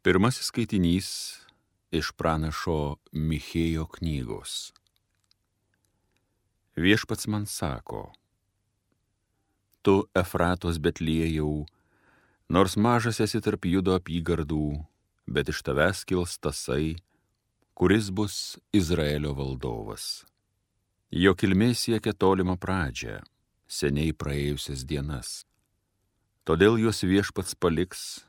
Pirmasis skaitinys iš pranašo Michėjo knygos. Viešpats man sako: Tu, Efratos Betliejau, nors mažas esi tarp Judo apygardų, bet iš tavęs kils tasai, kuris bus Izraelio valdovas. Jo kilmė siekia tolimą pradžią, seniai praėjusias dienas. Todėl juos Viešpats paliks,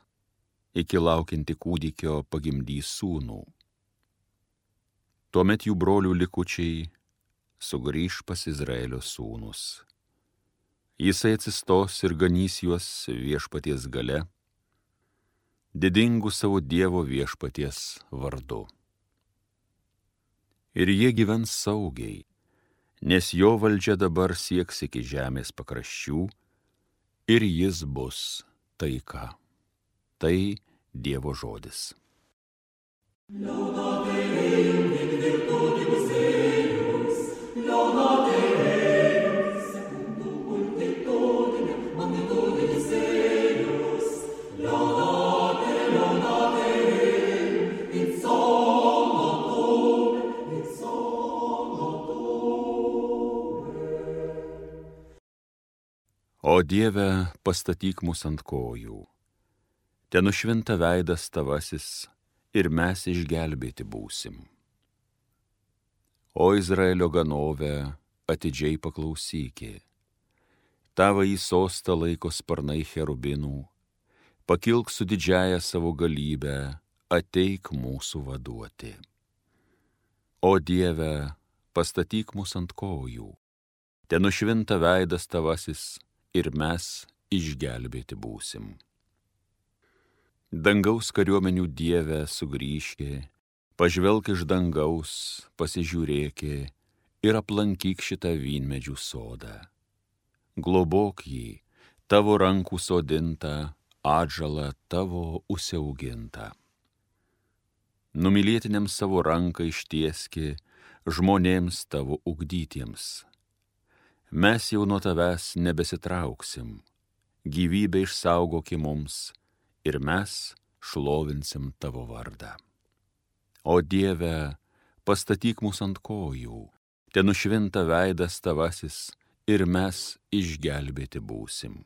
iki laukianti kūdikio pagimdys sūnų. Tuomet jų brolių likučiai sugrįš pas Izraelio sūnus. Jisai atsistos ir ganys juos Viešpaties gale, didingu savo Dievo Viešpaties vardu. Ir jie gyvens saugiai, nes jo valdžia dabar sieks iki žemės pakraščių, ir jis bus taika. Tai Dievo žodis. O Dieve, pastatyk mus ant kojų. Te nušvinta veidas tavasis, ir mes išgelbėti būsim. O Izraelio ganove, atidžiai paklausykė. Tavąjį sostą laiko sparnai cherubinų, pakilk su didžiaja savo galybę, ateik mūsų vaduoti. O Dieve, pastatyk mus ant kojų. Te nušvinta veidas tavasis, ir mes išgelbėti būsim. Dangaus kariuomenių Dieve sugrįžkė, pažvelk iš dangaus, pasižiūrėkė ir aplankyk šitą vynmedžių sodą. Globok jį, tavo rankų sodintą, atžalą tavo užsiaugintą. Numylėtiniams savo ranką ištieski, žmonėms tavo ugdytiems. Mes jau nuo tavęs nebesitrauksim, gyvybę išsaugoki mums, ir mes šlovinsim tavo vardą. O Dieve, pastatyk mus ant kojų, te nušvinta veidas tavasis, ir mes išgelbėti būsim.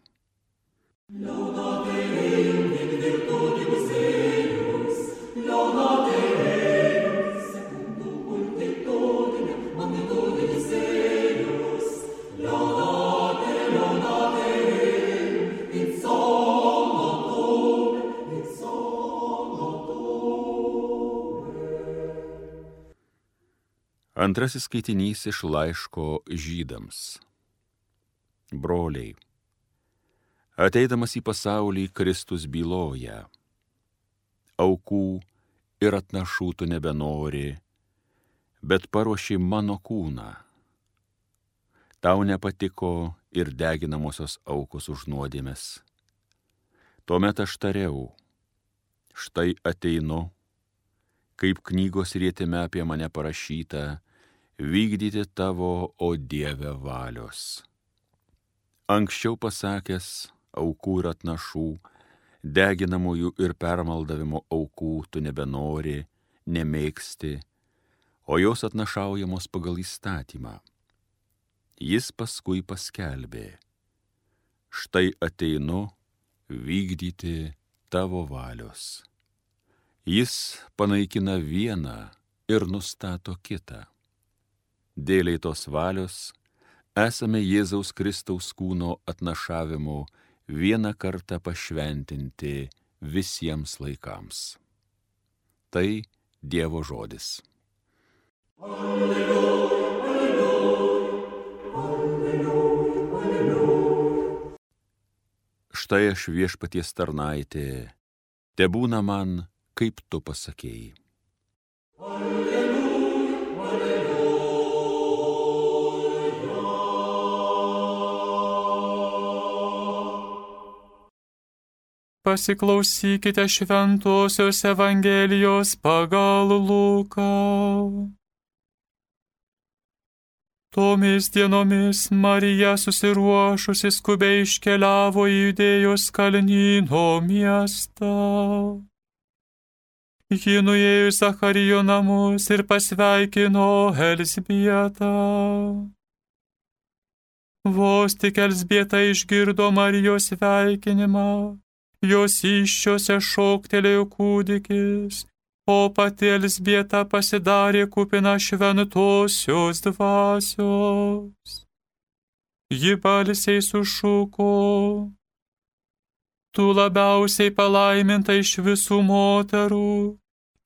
Antrasis skaitinys iš laiško Žydams. Broliai, ateidamas į pasaulį, Kristus byloja: aukų ir atnašų tu nebenori, bet paruoši mano kūną. Tau nepatiko ir deginamosios aukos už nuodėmes. Tuomet aš tariau: štai ateinu, kaip knygos rietime apie mane parašyta, vykdyti tavo, o Dieve, valios. Anksčiau pasakęs, aukų ir atnašų, deginamųjų ir permaldavimo aukų tu nebenori, nemėgsti, o jos atnašaujamos pagal įstatymą. Jis paskui paskelbė: štai ateinu vykdyti tavo valios. Jis panaikina vieną ir nustato kitą. Dėlei tos valios esame Jėzaus Kristaus kūno atnašavimu vieną kartą pašventinti visiems laikams. Tai Dievo žodis. Alleluja, alleluja, alleluja, alleluja. Štai aš Viešpaties tarnaitė, tebūna man, kaip tu pasakėjai. Alleluja, alleluja. Pasiklausykite šventosios Evangelijos pagal Luką. Tomis dienomis Marija susiruošusi skubiai iškeliavo į Judėjos kalnyno miestą. Ji nuėjo į Zacharijo namus ir pasveikino Elzbietą. Vos tik Elzbieta išgirdo Marijos sveikinimą, jos įsčiose šoktelėjo kūdikis, o pati Elzbieta pasidarė kupina šventosios dvasios. Ji balsiai sušuko: Tu labiausiai palaiminta iš visų moterų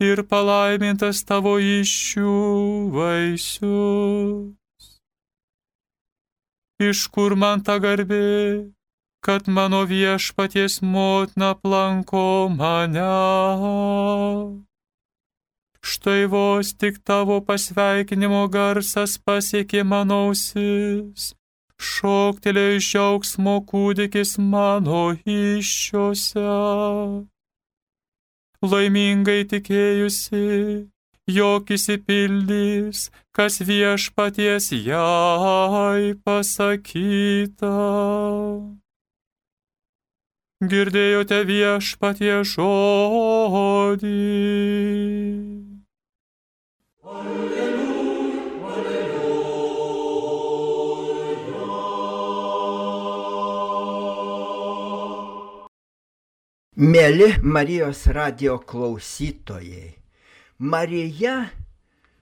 ir palaimintas tavo įsčių vaisius. Iš kur man ta garbė, kad mano viešpaties motina aplanko mane? Štai vos tik tavo pasveikinimo garsas pasiekė mano ausis, šoktelėjo iš džiaugsmo kūdikis mano įsčiose. Laimingai tikėjusi, jog išsipildys, kas viešpaties jai pasakyta. Girdėjote viešpaties žodį. Mėly Marijos radijo klausytojai, Marija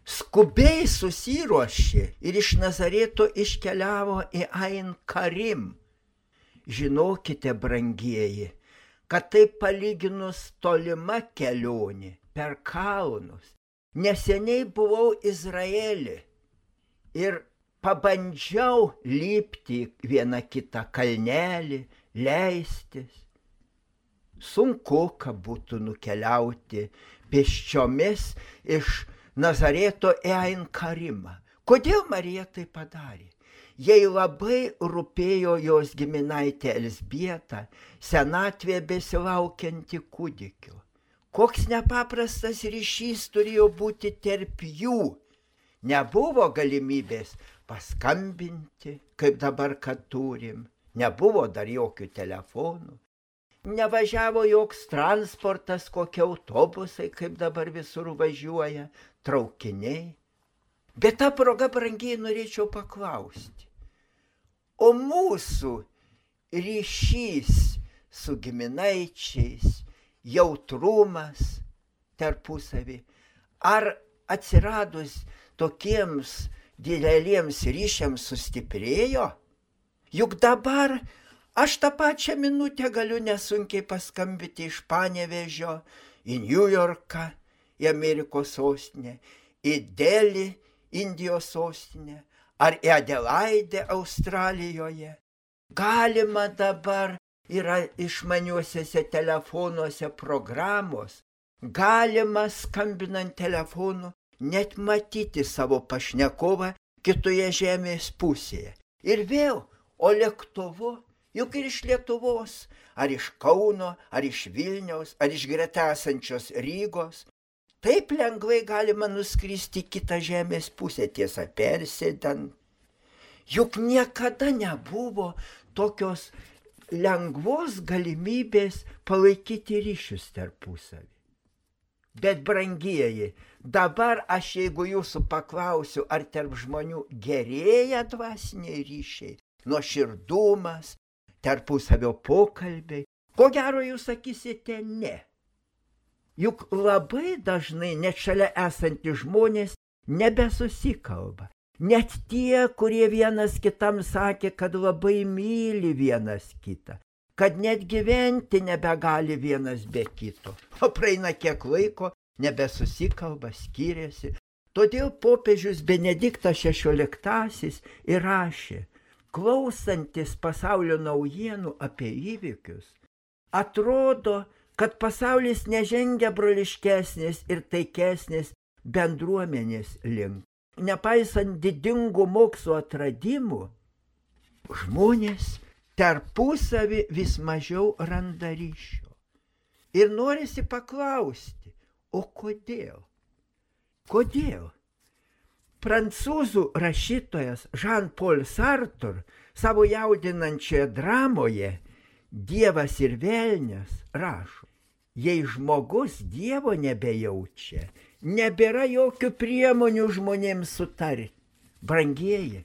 skubiai susiruošė ir iš Nazareto iškeliavo į Ain Karim. Žinokite, brangieji, kad tai palyginus tolima kelionė per kalnus. Neseniai buvau Izraelį ir pabandžiau lipti vieną kitą kalnelį, leistis. Sunku, kad būtų nukeliauti pėsčiomis iš Nazareto į Ain Karimą. Kodėl Marija tai padarė? Jai labai rūpėjo jos giminaitė Elzbieta, senatvėje besilaukianti kūdikio. Koks nepaprastas ryšys turėjo būti tarp jų. Nebuvo galimybės paskambinti, kaip dabar, kad turim. Nebuvo dar jokių telefonų. Nevažiavo joks transportas, kokie autobusai, kaip dabar visur važiuoja, traukiniai. Bet tą progą, brangiai, norėčiau paklausti. O mūsų ryšys su giminaičiais, jautrumas tarpusavį, ar atsiradus tokiems dideliems ryšiams sustiprėjo? Juk dabar aš tą pačią minutę galiu nesunkiai paskambinti iš Panevėžio į New Yorką, į Amerikos sostinę, į Delį, Indijos sostinę, ar į Adelaidę, Australijoje. Galima dabar, yra išmaniuosiuose telefonuose programos, galima skambinant telefonu net matyti savo pašnekovą kitoje žemės pusėje. Ir vėl, o lėktuvu, juk ir iš Lietuvos, ar iš Kauno, ar iš Vilniaus, ar iš greta esančios Rygos, taip lengvai galima nuskristi kitą žemės pusę, tiesa, persėdant. Juk niekada nebuvo tokios lengvos galimybės palaikyti ryšius tarpusavį. Bet, brangieji, dabar aš, jeigu jūsų paklausiu, ar tarp žmonių gerėja dvasiniai ryšiai, nuoširdumas, tarpusavio pokalbiai, ko gero jūs sakysite ne. Juk labai dažnai net šalia esantys žmonės nebesusikalba. Net tie, kurie vienas kitam sakė, kad labai myli vienas kitą, kad net gyventi nebegali vienas be kito. O praeina kiek laiko, nebesusikalba, skiriasi. Todėl popiežius Benediktas XVI ir rašė: klausantis pasaulio naujienų apie įvykius, atrodo, kad pasaulis nežengia broliškesnės ir taikesnės bendruomenės link. Nepaisant didingų mokslo atradimų, žmonės tarpusavį vis mažiau randa ryšio. Ir norisi paklausti, o kodėl? Kodėl? Prancūzų rašytojas Jean-Paul Sartre savo jaudinančioje dramoje Dievas ir velnias rašo: Jei žmogus Dievo nebejaučia, nebėra jokių priemonių žmonėms sutarti. Brangieji,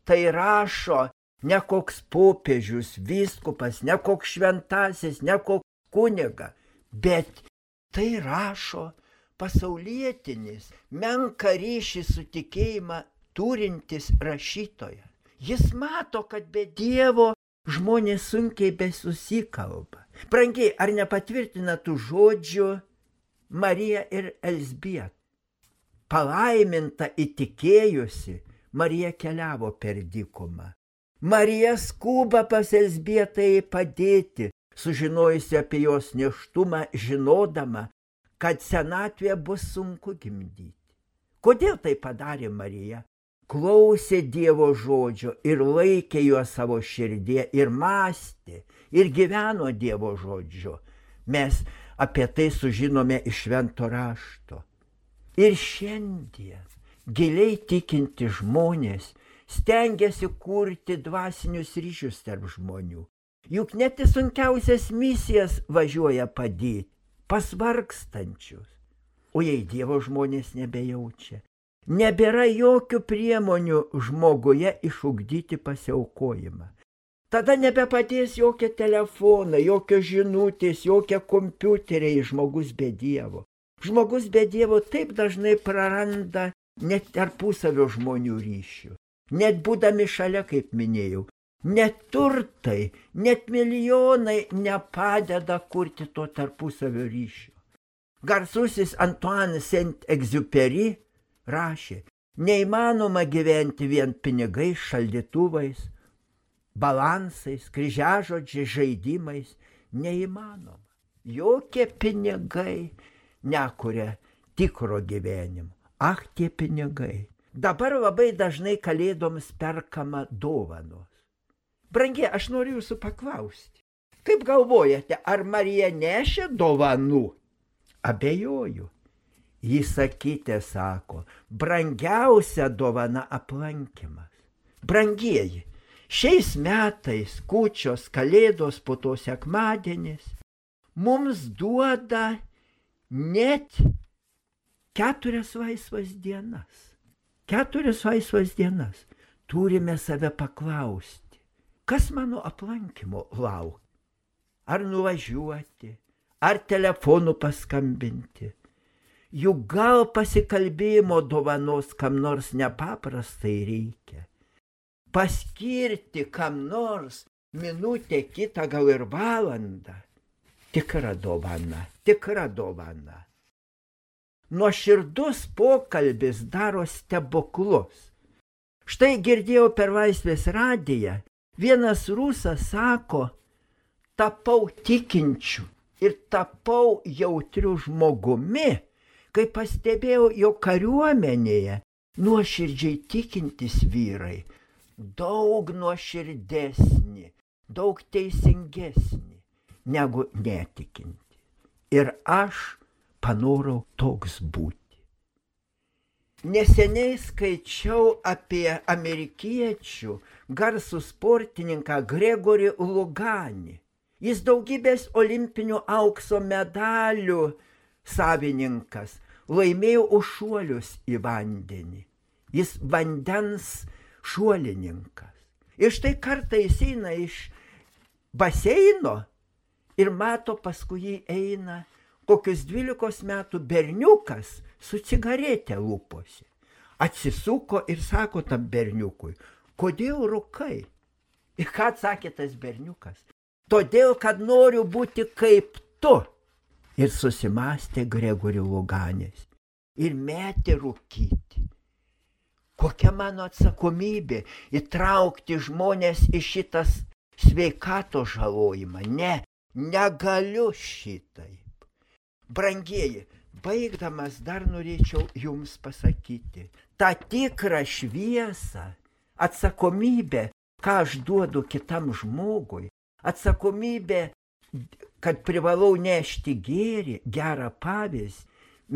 tai rašo ne koks popiežius, vyskupas, ne koks šventasis, ne koks kuniga, bet tai rašo pasaulietinis, menką ryšį su tikėjimą turintis rašytojas. Jis mato, kad be Dievo žmonės sunkiai besusikalba. Brangiai, ar nepatvirtina tų žodžių Marija ir Elzbieta? Palaiminta įtikėjusi, Marija keliavo per dykumą. Marija skuba pas Elzbietą padėti, sužinojusi apie jos nėštumą, žinodama, kad senatvėje bus sunku gimdyti. Kodėl tai padarė Marija? Klausė Dievo žodžio ir laikė juos savo širdie ir mąstė ir gyveno Dievo žodžiu. Mes apie tai sužinome iš Švento rašto. Ir šiandien giliai tikinti žmonės stengiasi kurti dvasinius ryšius tarp žmonių. Juk net į sunkiausias misijas važiuoja padėti, pasvargstančius. O jei Dievo žmonės nebejaučia, nebėra jokių priemonių žmoguje išugdyti pasiaukojimą. Tada nebepadės jokie telefonai, jokios žinutės, jokie kompiuteriai žmogus be Dievo. Žmogus be Dievo taip dažnai praranda net tarpusavio žmonių ryšių. Net būdami šalia, kaip minėjau, net turtai, net milijonai nepadeda kurti to tarpusavio ryšio. Garsusis Antoine Saint-Exupéry rašė, neįmanoma gyventi vien pinigais, šaldytuvais, balansais, kryžiažodžiais, žaidimais. Neįmanoma. Jokie pinigai nekuria tikro gyvenimo. Ach, tie pinigai. Dabar labai dažnai kalėdoms perkama dovanos. Brangie, aš noriu jūsų paklausti. Kaip galvojate, ar Marija nešė dovanų? Abejoju. Jis sakytė, sako, brangiausia dovana aplankymas. Brangieji, šiais metais kūčios, kalėdos, po to sekmadienis mums duoda net 4 laisvas dienas. 4 laisvas dienas. Turime save paklausti, kas mano aplankymo laukia? Ar nuvažiuoti, ar telefonu paskambinti? Juk gal pasikalbėjimo dovanos kam nors nepaprastai reikia. Paskirti kam nors minutę kitą, gal ir valandą. Tikra dovana, tikra dovana. Nuoširdus pokalbis daro stebuklus. Štai girdėjau per Laisvės radiją, vienas rusas sako, tapau tikinčiu ir tapau jautriu žmogumi, kai pastebėjau, jo kariuomenėje nuoširdžiai tikintis vyrai daug nuoširdesni, daug teisingesni negu netikinti. Ir aš panorau toks būti. Neseniai skaičiau apie amerikiečių garsų sportininką Gregorį Luganį. Jis daugybės olimpinių aukso medalių savininkas, laimėjo už šuolius į vandenį. Jis vandens šuolininkas. Ir štai kartą jis eina iš baseino ir mato, paskui jį eina kokius 12 metų berniukas su cigaretė lūpose. Atsisuko ir sako tam berniukui, kodėl rūkai? Ir ką atsakė tas berniukas? Todėl, kad noriu būti kaip tu. Ir susimastė Gregorių Luganis ir metė rūkyti. Kokia mano atsakomybė įtraukti žmonės į šitas sveikato žalojimą? Ne, negaliu šitaip. Brangieji, baigdamas dar norėčiau jums pasakyti, tą tikrą šviesą, atsakomybę, ką aš duodu kitam žmogui, atsakomybę, kad privalau nešti gėrį, gerą pavyzdį,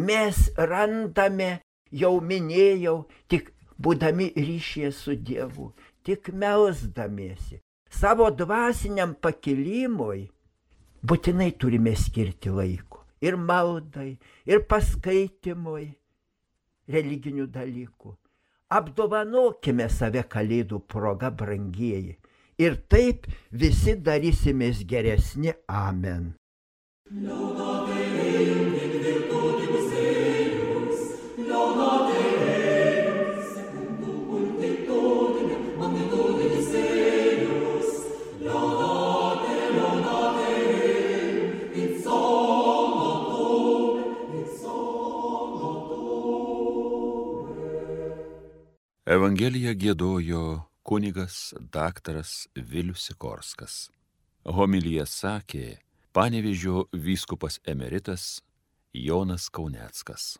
mes randame, jau minėjau, tik būdami ryšyje su Dievu, tik melsdamiesi. Savo dvasiniam pakilimui būtinai turime skirti laiko ir maldai, ir paskaitimui religinių dalykų. Apdovanokime save Kalėdų proga, brangieji, ir taip visi darysimės geresni. Amen. Evangeliją giedojo kunigas daktaras Vilius Sikorskas. Homiliją sakė Panevėžio vyskupas emeritas Jonas Kauneckas.